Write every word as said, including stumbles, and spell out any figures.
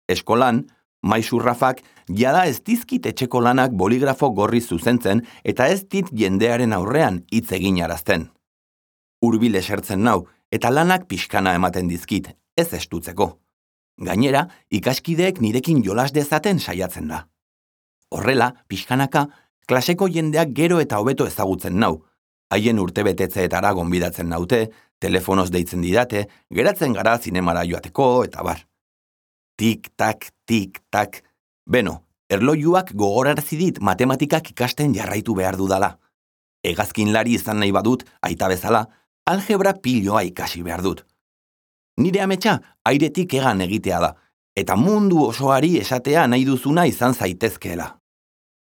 Eskolan, maisu Rafak jada ez dizkit etxeko lanak boligrafo gorri zuzentzen eta ez dit jendearen aurrean hitz egin arazten. Hurbil esertzen nau eta lanak pixkana ematen dizkit, ez estutzeko. Gainera, ikaskideek nirekin jolas dezaten saiatzen da. Horrela, pixkanaka, klaseko jendeak gero eta hobeto ezagutzen nau. Haien urtebetetzeetara gonbidatzen naute, telefonoz deitzen didate, geratzen gara zinemara joateko eta bar. Tik-tak, tik-tak. Beno, erlojuak gogorarazi dit matematikak ikasten jarraitu behar dudala. Hegazkinlari izan nahi badut, aita bezala, algebra piloa ikasi behar dut. Nire ametsa airetik egan egitea da, eta mundu osoari esatea nahi duzuna izan zaitezkeela.